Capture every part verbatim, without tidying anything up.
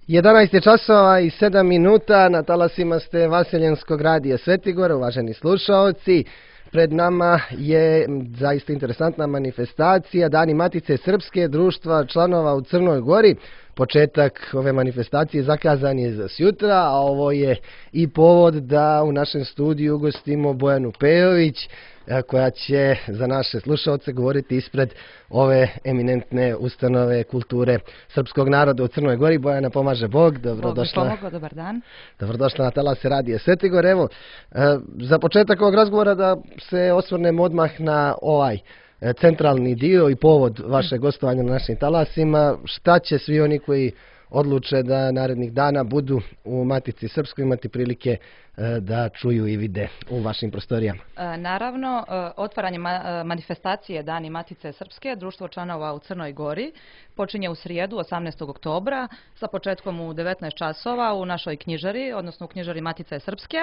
jedanaest je časova i sedam minuta, na talasima ste Vaseljenskog radija Svetigora, uvaženi slušaoci. Pred nama je zaista interesantna manifestacija Dani Matice Srpske, društva članova u Crnoj Gori. Početak ove manifestacije zakazan je za sjutra, a ovo je i povod da u našem studiju ugostimo Bojanu Pejović, koja će za naše slušaoce govoriti ispred ove eminentne ustanove kulture srpskog naroda u Crnoj Gori. Bojana, pomaže Bog, dobrodošla. Bog mi pomogao, dobar dan. Dobrodošla na talase radija Svetigor. Evo, za početak ovog razgovora da se osvrnemo odmah na ovaj centralni dio i povod vašeg gostovanja na našim talasima. Šta će svi oni koji odluče da narednih dana budu u Matici Srpskoj imati prilike da čuju i vide u vašim prostorijama? Naravno, otvaranje manifestacije Dani Matice Srpske, društvo članova u Crnoj Gori, počinje u srijedu osamnaestog oktobra sa početkom u devetnaest časova u našoj knjižari, odnosno u knjižari Matice Srpske,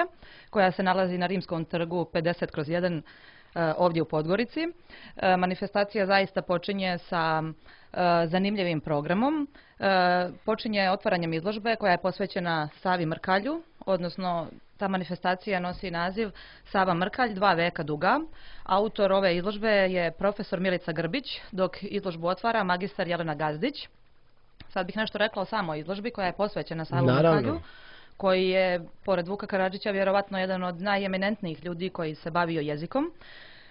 koja se nalazi na Rimskom trgu pedeset kroz jedan ovdje u Podgorici. Manifestacija zaista počinje sa zanimljivim programom. Počinje otvaranjem izložbe koja je posvećena Savi Mrkalju, odnosno ta manifestacija nosi naziv Sava Mrkalj, dva veka duga. Autor ove izložbe je profesor Milica Grbić, dok izložbu otvara magistar Jelena Gazdić. Sad bih nešto rekla o samoj izložbi koja je posvećena Savu Mrkalju, koji je, pored Vuka Karadžića, vjerovatno jedan od najeminentnijih ljudi koji se bavio jezikom.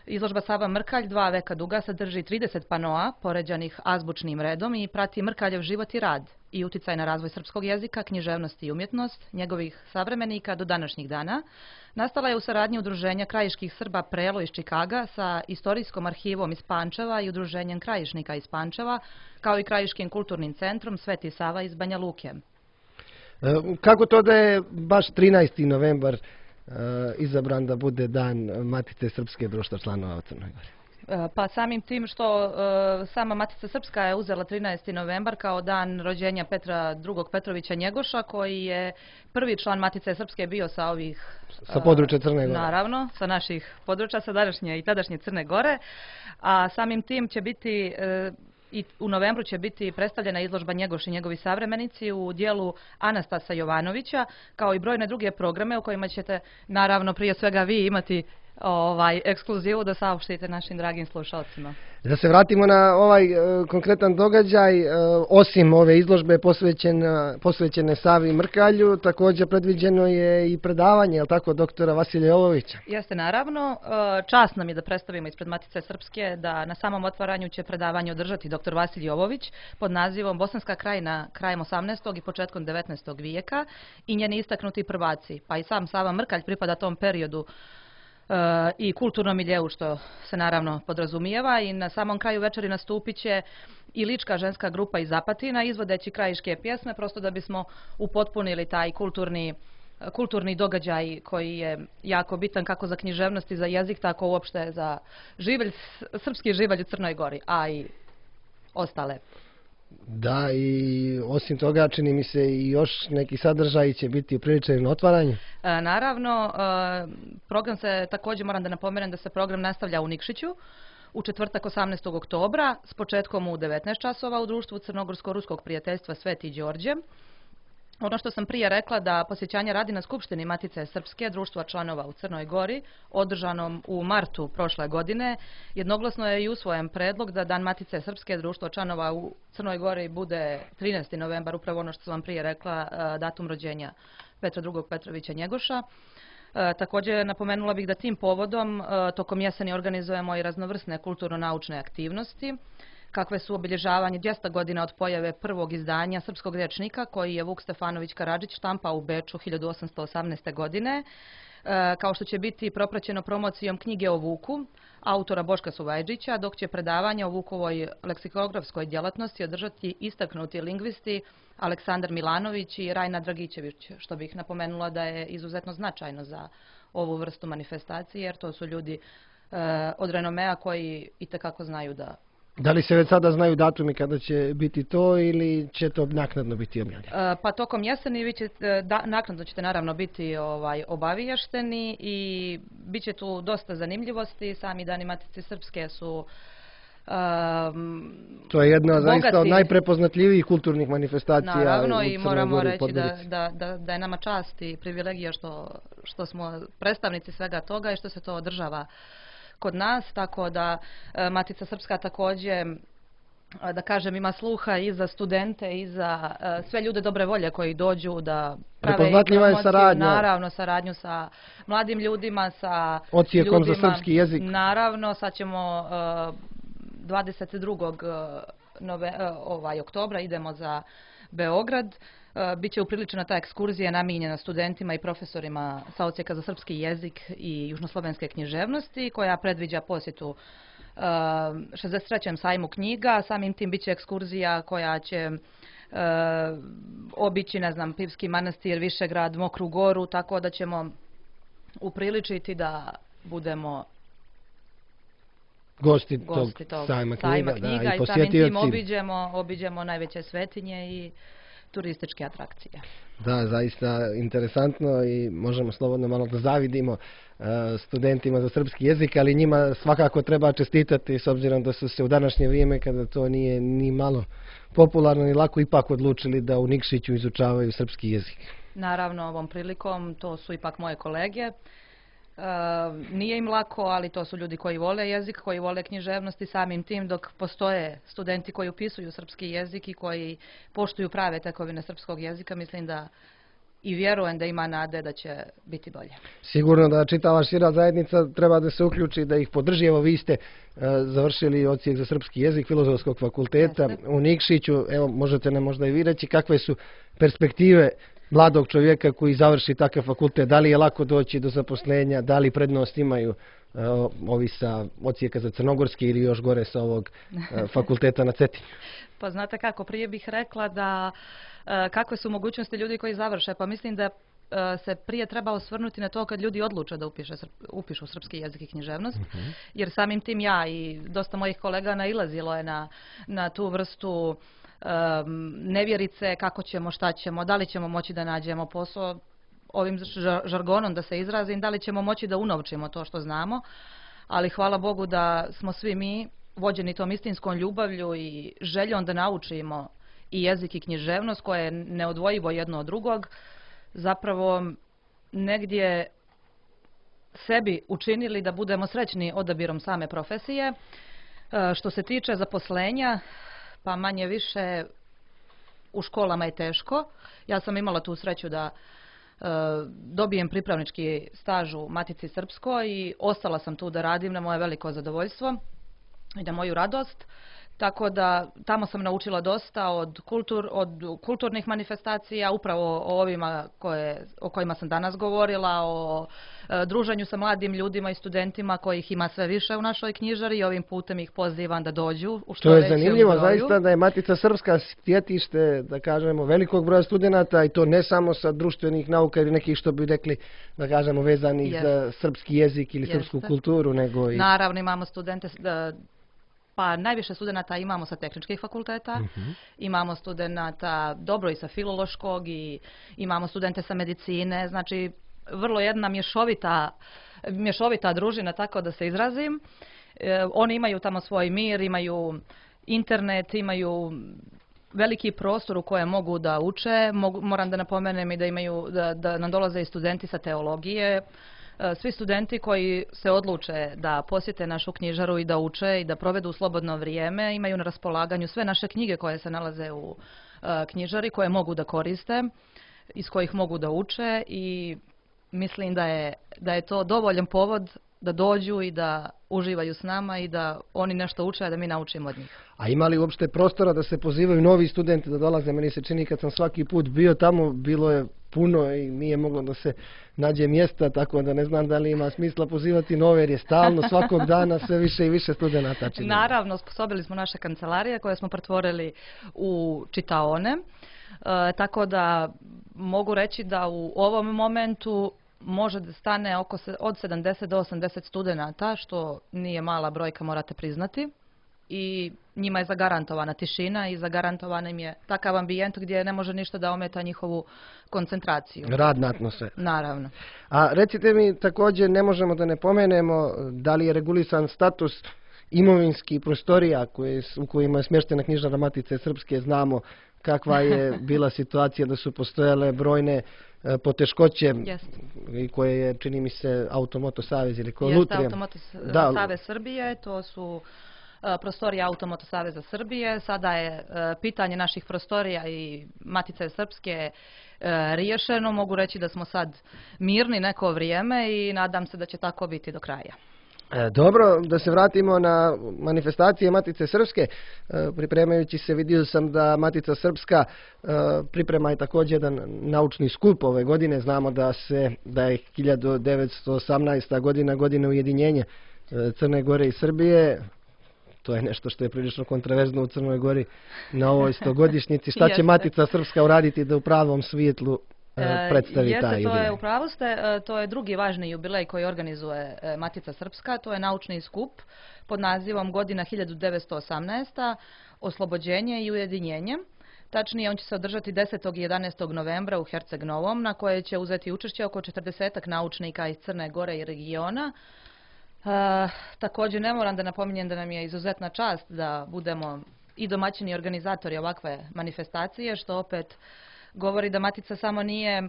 Izložba Sava Mrkalj, dva veka duga, sadrži trideset panoa poređanih azbučnim redom i prati Mrkaljev život i rad i uticaj na razvoj srpskog jezika, književnost i umjetnost njegovih savremenika do današnjih dana. Nastala je u saradnji Udruženja krajiških Srba Prelo iz Čikaga sa Istorijskom arhivom iz Pančeva i Udruženjem krajišnika iz Pančeva, kao i Krajiškim kulturnim centrom Sveti Sava iz Banja Luke. Kako to da je baš trinaesti novembar izabran da bude dan Matice Srpske, društva članova u Crnoj Gori? Pa samim tim što sama Matica Srpska je uzela trinaesti novembar kao dan rođenja Petra drugog Petrovića Njegoša, koji je prvi član Matice Srpske bio sa ovih... Sa područja Crne Gore. Naravno, sa naših područja, sa današnje i tadašnje Crne Gore. A samim tim će biti... I u novembru će biti predstavljena izložba Njegoš i njegovi savremenici u dijelu Anastasa Jovanovića, kao i brojne druge programe u kojima ćete, naravno, prije svega vi imati ovaj ekskluzivu da saopštite našim dragim slušalcima. Da se vratimo na ovaj e, konkretan događaj, e, osim ove izložbe posvećene, posvećene Savi Mrkalju, također predviđeno je i predavanje, je li tako, doktora Vasilija Jovovića? Jeste, naravno. Čast nam je da predstavimo ispred Matice Srpske da na samom otvaranju će predavanje održati doktor Vasilij Jovović pod nazivom Bosanska krajina krajem osamnaestog i početkom devetnaestog vijeka i njeni istaknuti prvaci. Pa i sam Sava Mrkalj pripada tom periodu i kulturnom miljeu, što se naravno podrazumijeva, i na samom kraju večeri nastupit će i lička ženska grupa iz Apatina izvodeći krajiške pjesme, prosto da bismo upotpunili taj kulturni, kulturni događaj koji je jako bitan kako za književnost i za jezik, tako uopšte za živelj, srpski živelj u Crnoj Gori, a i ostale. Da, i osim toga čini mi se i još neki sadržaj će biti upriličeni na otvaranju. E, naravno, e, program se, također moram da napomenem da se program nastavlja u Nikšiću u četvrtak osamnaestog oktobra s početkom u devetnaest časova u društvu Crnogorsko-ruskog prijateljstva Sveti Đorđe. Ono što sam prije rekla, da posjećanje radi na Skupštini Matice Srpske, društva članova u Crnoj Gori, održanom u martu prošle godine, jednoglasno je i usvojen predlog da Dan Matice Srpske, društva članova u Crnoj Gori, bude trinaesti novembar, upravo ono što sam vam prije rekla, datum rođenja Petra drugog Petrovića Njegoša. Također napomenula bih da tim povodom tokom jeseni organizujemo i raznovrsne kulturno-naučne aktivnosti, kakve su obilježavanje dvjesto godina od pojave prvog izdanja srpskog rječnika koji je Vuk Stefanović Karadžić štampao u Beču hiljadu osamsto osamnaeste. godine, kao što će biti propraćeno promocijom knjige o Vuku, autora Boška Suvajđića, dok će predavanje o Vukovoj leksikografskoj djelatnosti održati istaknuti lingvisti Aleksandar Milanović i Rajna Dragićević, što bih napomenula da je izuzetno značajno za ovu vrstu manifestacije, jer to su ljudi od renomea koji itekako znaju da... Da li se već sada znaju datumi kada će biti to ili će to naknadno biti objavljeno? Pa tokom jeseni vi ćete, da, naknadno ćete naravno biti ovaj, obaviješteni i bit će tu dosta zanimljivosti. Sami Dani Matice Srpske su... Um, To je jedna zaista od bogati. najprepoznatljivijih kulturnih manifestacija Naravno, u i Crnoj moramo Gori, reći da, Podgorici. da, da, da je nama čast i privilegija što, što smo predstavnici svega toga i što se to održava kod nas, tako da e, Matica Srpska također, a, da kažem, ima sluha i za studente i za e, sve ljude dobre volje koji dođu da prave i Prepoznatljiva je promociju, saradnja. naravno saradnju sa mladim ljudima, sa Odsjekom ljudima, za srpski jezik. naravno, sad ćemo e, dvadeset drugog Nove, ovaj, oktobra idemo za Beograd. Biće upriličena ta ekskurzija namijenjena studentima i profesorima sa odsjeka za srpski jezik i južnoslovenske književnosti, koja predviđa posjetu šezdeset trećem sajmu knjiga. Samim tim biće ekskurzija koja će obići, ne znam, Pivski manastir, Višegrad, Mokru Goru, tako da ćemo upriličiti da budemo gosti, gosti tog tog sajma sajma knjiga, knjiga, da, i i samim tim posjetioci. obiđemo, obiđemo najveće svetinje i turističke atrakcije. Da, zaista interesantno i možemo slobodno malo da zavidimo uh, studentima za srpski jezik, ali njima svakako treba čestitati s obzirom da su se u današnje vrijeme, kada to nije ni malo popularno ni lako, ipak odlučili da u Nikšiću izučavaju srpski jezik. Naravno, ovom prilikom to su ipak moje kolege. E, nije im lako, ali to su ljudi koji vole jezik, koji vole književnosti, samim tim dok postoje studenti koji upisuju srpski jezik i koji poštuju prave tekovine srpskog jezika, mislim da i vjerujem da ima nade da će biti bolje. Sigurno da čitava šira zajednica treba da se uključi, da ih podrži. Evo, vi ste uh, završili odsjek za srpski jezik Filozofskog fakulteta Jeste. u Nikšiću. Evo, možete nam možda i vi reći kakve su perspektive mladog čovjeka koji završi takav fakultet? Da li je lako doći do zaposlenja? Da li prednost imaju uh, ovi sa odsjeka za crnogorski ili još gore sa ovog uh, fakulteta na Cetinju? Pa znate kako, prije bih rekla da e, kakve su mogućnosti ljudi koji završe, pa mislim da e, se prije treba osvrnuti na to kad ljudi odluče da upiše, upišu srpski jezik i književnost, uh-huh. jer samim tim ja i dosta mojih kolega nailazilo je na, na tu vrstu um, nevjerice, kako ćemo, šta ćemo, da li ćemo moći da nađemo posao, ovim žargonom da se izrazim, da li ćemo moći da unovčimo to što znamo, ali hvala Bogu da smo svi mi vođeni tom istinskom ljubavlju i željom da naučimo i jezik i književnost, koje je neodvojivo jedno od drugog, zapravo negdje sebi učinili da budemo srećni odabirom same profesije. E, što se tiče zaposlenja, pa manje više u školama je teško. Ja sam imala tu sreću da e, dobijem pripravnički staž u Matici Srpskoj i ostala sam tu da radim na moje veliko zadovoljstvo i na moju radost. Tako da tamo sam naučila dosta od, kultur, od kulturnih manifestacija, upravo o ovima koje, o kojima sam danas govorila, o e, druženju sa mladim ljudima i studentima kojih ima sve više u našoj knjižari i ovim putem ih pozivam da dođu u što To je većem zanimljivo, broju. zaista, da je Matica Srpska sjetište, da kažemo, velikog broja studenata, i to ne samo sa društvenih nauka ili nekih, što bi rekli, da kažemo, vezanih Jest. za srpski jezik ili Jeste. srpsku kulturu, nego i... Naravno, imamo studente, e, pa najviše studenata imamo sa tehničkih fakulteta, uh-huh. imamo studenata dobro i sa filološkog i imamo studente sa medicine, znači vrlo jedna mješovita, mješovita družina, tako da se izrazim. E, oni imaju tamo svoj mir, imaju internet, imaju veliki prostor u kojem mogu da uče. Mogu, moram da napomenem i da imaju, da, da nam dolaze i studenti sa teologije. Svi studenti koji se odluče da posjete našu knjižaru i da uče i da provedu slobodno vrijeme imaju na raspolaganju sve naše knjige koje se nalaze u uh, knjižari, koje mogu da koriste, iz kojih mogu da uče, i mislim da je, da je to dovoljan povod da dođu i da uživaju s nama i da oni nešto uče, a da mi naučimo od njih. A ima li uopšte prostora da se pozivaju novi studenti da dolaze? Meni se čini, kad sam svaki put bio tamo, bilo je puno i nije moglo da se nađe mjesta, tako da ne znam da li ima smisla pozivati nove, jer je stalno svakog dana sve više i više studenata. Čini. Naravno, sposobili smo naše kancelarije koje smo pretvorili u čitaone, e, tako da mogu reći da u ovom momentu može da stane oko se, od sedamdeset do osamdeset studenata, što nije mala brojka, morate priznati. I njima je zagarantovana tišina i zagarantovan im je takav ambijent gdje ne može ništa da ometa njihovu koncentraciju. Radna atmosfera. Naravno. A recite mi, također ne možemo da ne pomenemo da li je regulisan status imovinskih prostorija koje, u kojima je smještena Knjižara Matice Srpske. Znamo kakva je bila situacija, da su postojale brojne e, poteškoće Yes. i koje je, čini mi se, Automoto Savez ili ko Jeste Lutrija. Automoto Da. Savez Srbije, to su e, prostorije Automoto Saveza Srbije. Sada je e, pitanje naših prostorija i Matice Srpske e, riješeno. Mogu reći da smo sad mirni neko vrijeme i nadam se da će tako biti do kraja. E, Dobro, da se vratimo na manifestacije Matice Srpske. E, Pripremajući se vidio sam da Matica Srpska e, priprema i također jedan naučni skup ove godine. Znamo da se da je hiljadu devetsto osamnaesta godina godina ujedinjenja e, Crne Gore i Srbije. To je nešto što je prilično kontroverzno u Crnoj Gori na ovoj stogodišnjici. Šta će Jeste. Matica Srpska uraditi da u pravom svjetlu e, predstavi Jeste, taj to je, jubilej? u pravu ste, e, to je drugi važni jubilej koji organizuje e, Matica Srpska, to je naučni skup pod nazivom Godina hiljadu devetsto osamnaesta. Oslobođenje i ujedinjenje. Tačnije, on će se održati desetog i jedanaestog novembra u Herceg Novom, na koje će uzeti učešće oko četrdesetak naučnika iz Crne Gore i regiona. E, također ne moram da napominjem da nam je izuzetna čast da budemo i domaćini i organizatori ovakve manifestacije, što opet govori da Matica samo nije e,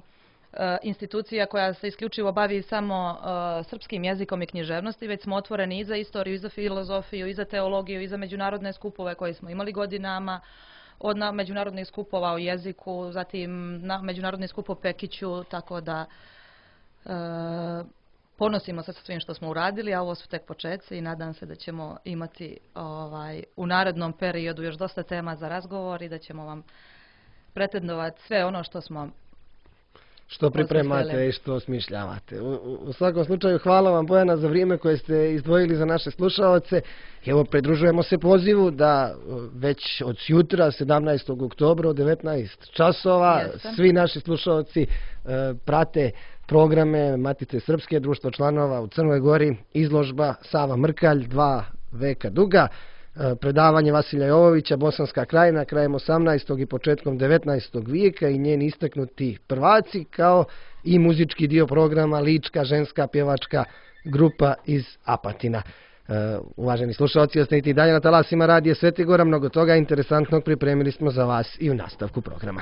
institucija koja se isključivo bavi samo e, srpskim jezikom i književnosti, već smo otvoreni i za istoriju, i za filozofiju, i za teologiju, i za međunarodne skupove koje smo imali godinama, od na, međunarodnih skupova o jeziku, zatim na međunarodni skup o Pekiću, tako da e, ponosimo se sa svim što smo uradili, a ovo su tek početci i nadam se da ćemo imati ovaj, u narednom periodu još dosta tema za razgovor i da ćemo vam pretendovati sve ono što smo što pripremate i što smišljavate. U, u, u svakom slučaju hvala vam, Bojana, za vrijeme koje ste izdvojili za naše slušaoce. Evo, pridružujemo se pozivu da već od jutra, sedamnaestog oktobra, od devetnaest časova, Jeste. svi naši slušaoci e, prate programe Matice Srpske, društvo članova u Crnoj Gori, izložba Sava Mrkalj, dva veka duga, predavanje Vasilja Jovovića, Bosanska krajina, krajem osamnaestog i početkom devetnaestog vijeka i njeni istaknuti prvaci, kao i muzički dio programa Lička ženska pjevačka grupa iz Apatina. Uvaženi slušalci, ostanite i dalje na talasima Radija Svetigora, mnogo toga interesantnog pripremili smo za vas i u nastavku programa.